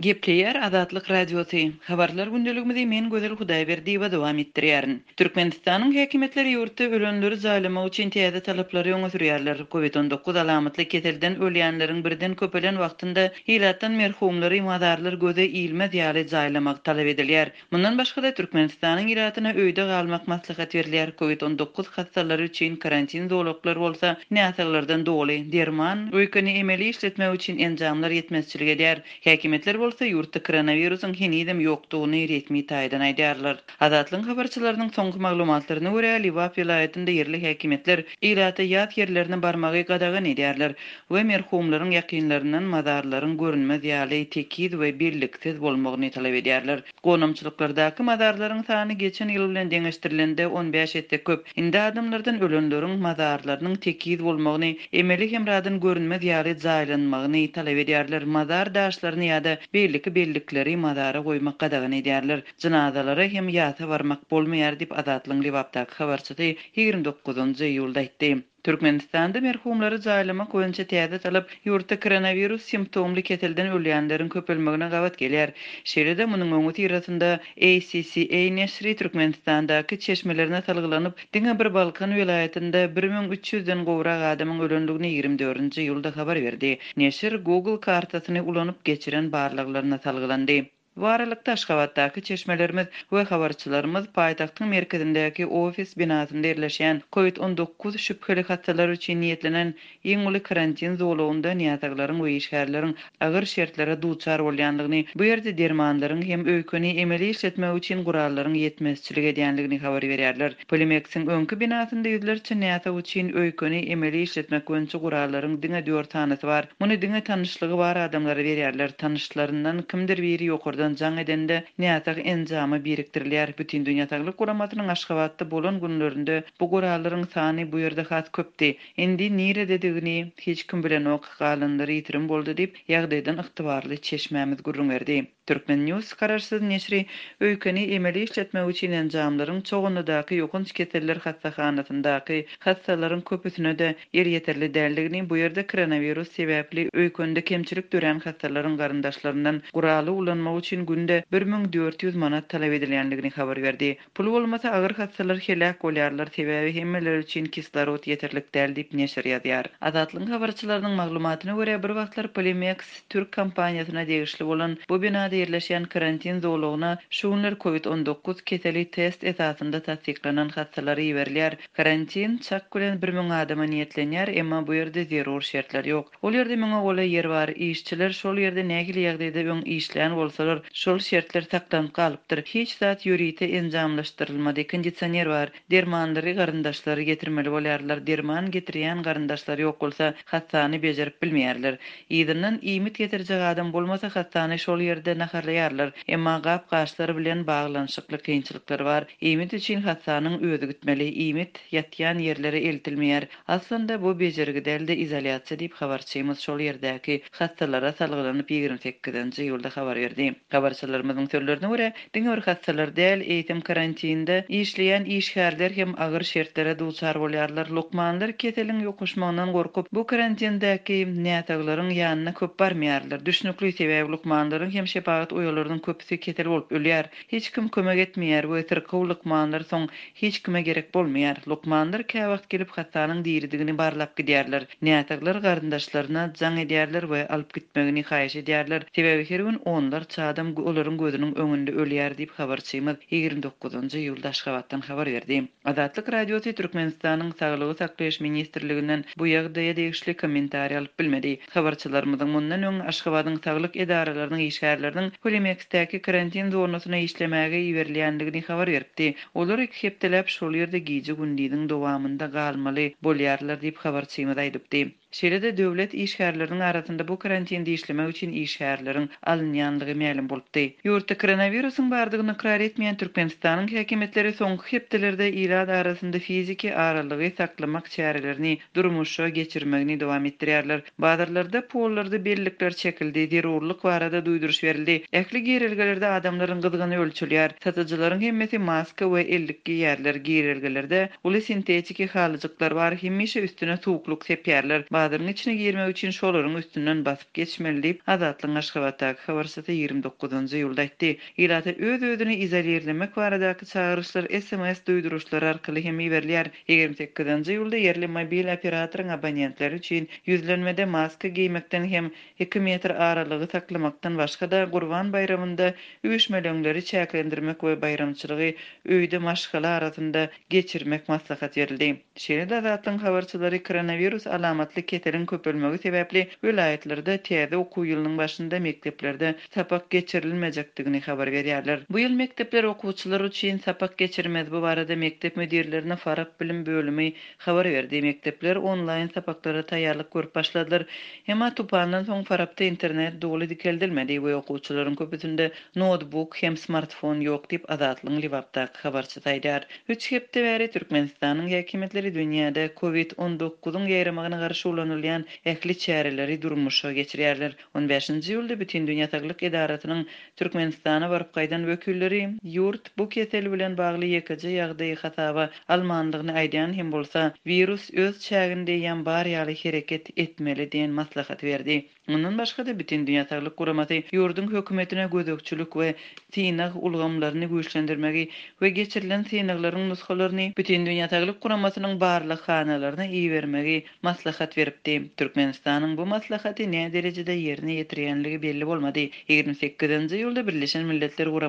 Gepleýär Azatlyk Radiosy, Habarlar gündeligimizi men Gözel Hudaýberdiýewa dowam etdirýärin. Türkmenistanyň häkimiýetleri ýurtda ölenleri jaýlamak üçin täze talaplary öňe sürýärler. Covid 19 alamatly keselden ölýänleriň birden köpelen wagtynda ilatdan merhumlary mazarlar göze ilmez ýaly jaýlamak talap edilýär. Mundan başga-da, Türkmenistanyň ilatyna öýde galmak maslahat berilýär, Covid 19 hassalary üçin karantin zolaklar bolsa näsaglardan doly, derman, öýkeni emeli işletmek üçin enjamlar ýetmezçilik edýär. Häkimiýetler bolsa ýurtda koronawirusyň henizem ýokdugyny resmi taýdan aýdýarlar. Azatlygyň habarçylarynyň soňky maglumatlaryna görä, Lebap welaýatynda ýerli häkimiýetler ilata ýas ýerlerine barmagy gadagan edýärler we merhumlaryň ýakynlaryndan mazarlaryň görünmez ýaly tekiz we belliksiz bolmagyny talap edýärler. Gonamçylyklardaky mazarlaryň sany geçen ýyl bilen deňeşdirilende 15 esse köp. Indi adamlardan ölenleriň mazarlarynyň tekiz bolmagyny, emeli hemradan görünmez ýaly jaýlanmagyny talap edýärler, mazar daşlaryny ýa-da beýleki bellikleri mazara goýmak gadagan edýärler, jynazalara hem ýasa barmak bolmaýar diýip, Azatlygyň Lebapdaky habarçysy 29 iýulda aýtdy. Türkmenistanda merhumlary jaýlamak boýunça täze talap ýurtda koronawirus simptomly keselden ölýänleriň köpelmegine gabat gelýär. Şeýle-de, munuň öňüsyrasynda ACCA neşiri Türkmenistandaky çeşmelerine salgylanyp, diňe bir Balkan welaýatynda 1300 den gowrak adamyň ölendigini 24-nji iýulda habar berdi. Neşir Google kartasyny ulanyp geçiren barlaglaryna salgylandy. Bu aralykda, Aşgabatdaky çeşmelerimiz we habarçylarymyz paýtagtyň merkezindäki ofis binasynda ýerleşýän Covid 19 şübheli hassalar üçin niýetlenen iň uly karantin zolagynda näsaglaryň we işgärleriň agyr şertlere duçar bolýandygyny, bu ýerde dermanlaryň hem öýkeni emeli işletmek üçin gurallaryň ýetmezçilik edýändigini habar berýärler. Polimeksiň öňki binasynda ýüzlerçe näsag üçin öýkeni emeli işletmek boýunça gurallaryň diňe dört sanysy bar. Muny diňe tanyşlygy bar adamlara berýärler. Tanyşlaryndan kimdir biri ýokardan jaň edende, näsag enjama birikdirilýär. Bütindünýä Saglyk Guramasynyň Aşgabatda bolan günlerinde bu gurallaryň sany bu ýerde has köpdi. Indi nirededigini hiç kim bilenok, galanlary ýitirim boldy diýip, ýagdaýdan ygtybarly çeşmämiz gürrüň berdi. Turkmen. News garaşsyz neşiri öýkeni emeli işletmek üçin enjamlaryň Çoganlydaky ýokanç keseller hassahanasyndaky hassalaryň köpüsine-de elýeterli däldigini, bu ýerde koronawirus sebäpli öýkende kemçilik dörän hassalaryň garyndaşlaryndan guraly ulanmak üçin günde 1400 manat talap edilýändigini habar berdi. Pul bolmasa agyr hassalar heläk bolýarlar, sebäbi hemmeler üçin kislorod ýeterlik däl diýip neşir ýazýar. Azatlygyň habarçylarynyň maglumatyna görä, bir wagtlar Polimex türk kompaniýasyna degişli bolan bu binada ýerleşýän karantin zolagyna şu günler Covid 19 keseli test esasynda tassyklanan hassalar iberilýär. Karantin çak bilen 1000 adama niýetlenýär, emma bu ýerde zerur şertler ýok. Ol ýerde müňe golaý ýer bar. Işçiler şol ýerde nähili ýagdaýda öň işlän bolsalar, şol şertler saklanyp galypdyr. Hiç zat ýörite enjamlaşdyrylmady. Kondisioner bar. Dermanlary garyndaşlary getirmeli bolýarlar. Derman getirýän garyndaşlary ýok bolsa, hassany bejerip bilmeýärler. Yzyndan iýmit getirjek adam bolmasa, hassany şol ýerde naharlaýarlar. Emma gap-gaçlar bilen baglanyşykly kynçylyklar bar. Iýmit üçin hassanyň özi gitmeli. Iýmit ýatýan ýerlere eltilmeýär. Aslynda bu bejergi däl-de izolýasiýa diýip habarçymyz şol ýerdäki hassalara salgylanyp 28-nji iýulda habar berdi. Habarçylarymyzyň sözlerine görä, diňe bir hassalar däl, eýsem karantinde işleýän işgärler hem agyr şertlere duçar bolýarlar. Lukmanlar keseliň ýokuşmagyndan gorkup, bu karantindäki näsaglaryň ýanyna köp barmaýarlar. Düşnükli, sebäbi lukmanlaryň hem şepagat uýalarynyň köpüsi kesel bolup ölýär. Hiç kim kömek etmeýär we syrkaw lukmanlar soň hiç kime gerek bolmaýar. Lukmanlar käwagt gelip hassanyň diridigini barlap gidýärler. Näsaglar garyndaşlaryna jaň edýärler we alyp gitmegini haýyş edýärler. Sebäbi her gün onlarça adam olaryň gözüniň öňünde ölýär diýip habarçymyz 29-njy iýulda Aşgabatdan habar berdi. Azatlyk Radiosy Türkmenistanyň Saglygy saklaýyş ministrliginden bu ýagdaýa degişli kommentariý alyp bilmedi. Habarçylarymyzyň mundan öň Aşgabadyň saglyk edaralarynyň işgärleriniň Polimeksdäki karantin zonasyna işlemäge iberilýändigini habar beripdi. Olar iki hepdeläp şol ýerde gije-gündiziň dowamynda galmaly bolýarlar diýip, habarçymyz aýdypdy. Şeýle-de döwlet işgärleriniň arasynda bu karantinde işlemek üçin işgärleriň alynýandygy mälim bolupdy. Ýurtda koronawirusyň bardygyny ykrar etmeýän Türkmenistanyň häkimiýetleri soňky hepdelerde ilat arasynda fiziki aralygy saklamak çärelerini durmuşa geçirmegini dowam etdirýärler. Bazarlarda pollarda bellikler çekildi, zerurlyk barada duýduryş berildi. Ähli girelgelerde adamlaryň gyzgyny ölçelýär. Satyjylaryň hemmesi maska we ellik geýýärler. Girelgelerde uly sintetiki halyjyklar bar, hemişe üstüne suwuklyk sepýärler. Bazaryň içine girmek üçin şolaryň üstünden basyp geçmeli diýip, Azatlygyň Aşgabatdaky habarçysy 29 iýulda aýtdy. Ilata öz-özüni izolirlemek baradaky çagyryşlar sms duýduryşlary arkaly hem iberilýär. 28 iýulda ýerli mobil operatoryň abonentleri üçin ýüzlenmede maska geýmekden hem iki metr aralygy saklamakdan başga-da, Gurban baýramynda üýşmeleňleri çäklendirmek we baýramçylygy öýde maşgala arasynda geçirmek maslahat berildi. Şeýle-de Azatlygyň habarçylary koronawirus alamatly keseliň köpelmegi sebäpli welaýatlarda täze okuw ýylynyň başynda mekdeplerde sapak geçirilmejekdigini habar berýärler. Bu ýyl mekdepler okuwçylar üçin sapak geçirmez. Bu barada mekdep müdirlerine Farap bilim bölümi habar berdi. Mekdepler onlaýn sapaklara taýýarlyk görüp başladylar. Emma tupandan soň Farapda internet doly dikeldilmedi we okuwçylaryň köpüsinde noutbuk hem smartfon ýok diýip, Azatlygyň Lebapdaky habarçysy aýdýar. Üç hepde bäri Türkmenistanyň häkimiýetleri dünýäde Covid on dokuzyň ýaýramagyna garşy ulanylýan ähli çäreleri durmuşa geçirýärler. On bäşinji iýulda Bütindünýä saglyk edarasynyň Türkmenistana baryp gaýdan wekilleri ýurt bu kesel bilen bagly ýekeje ýagdaýy hasaba almandygyny aýdýan hem bolsa, wirus öz çäginde eýýäm bar ýaly hereket etmeli diýen maslahaty berdi. Mundan başga-da, Bütindünýä saglyk guramasy ýurduň hökümetine gözegçilik we synag ulgamlaryny güýçlendirmegi we geçirilen synaglaryň nusgalaryny Bütindünýä saglyk guramasynyň barlaghanalaryna ibermegi maslahat beripdi. Türkmenistanyň bu maslahaty näderejede ýerine ýetirýänligi belli bolmady. 28 iýulda Birleşen Milletler.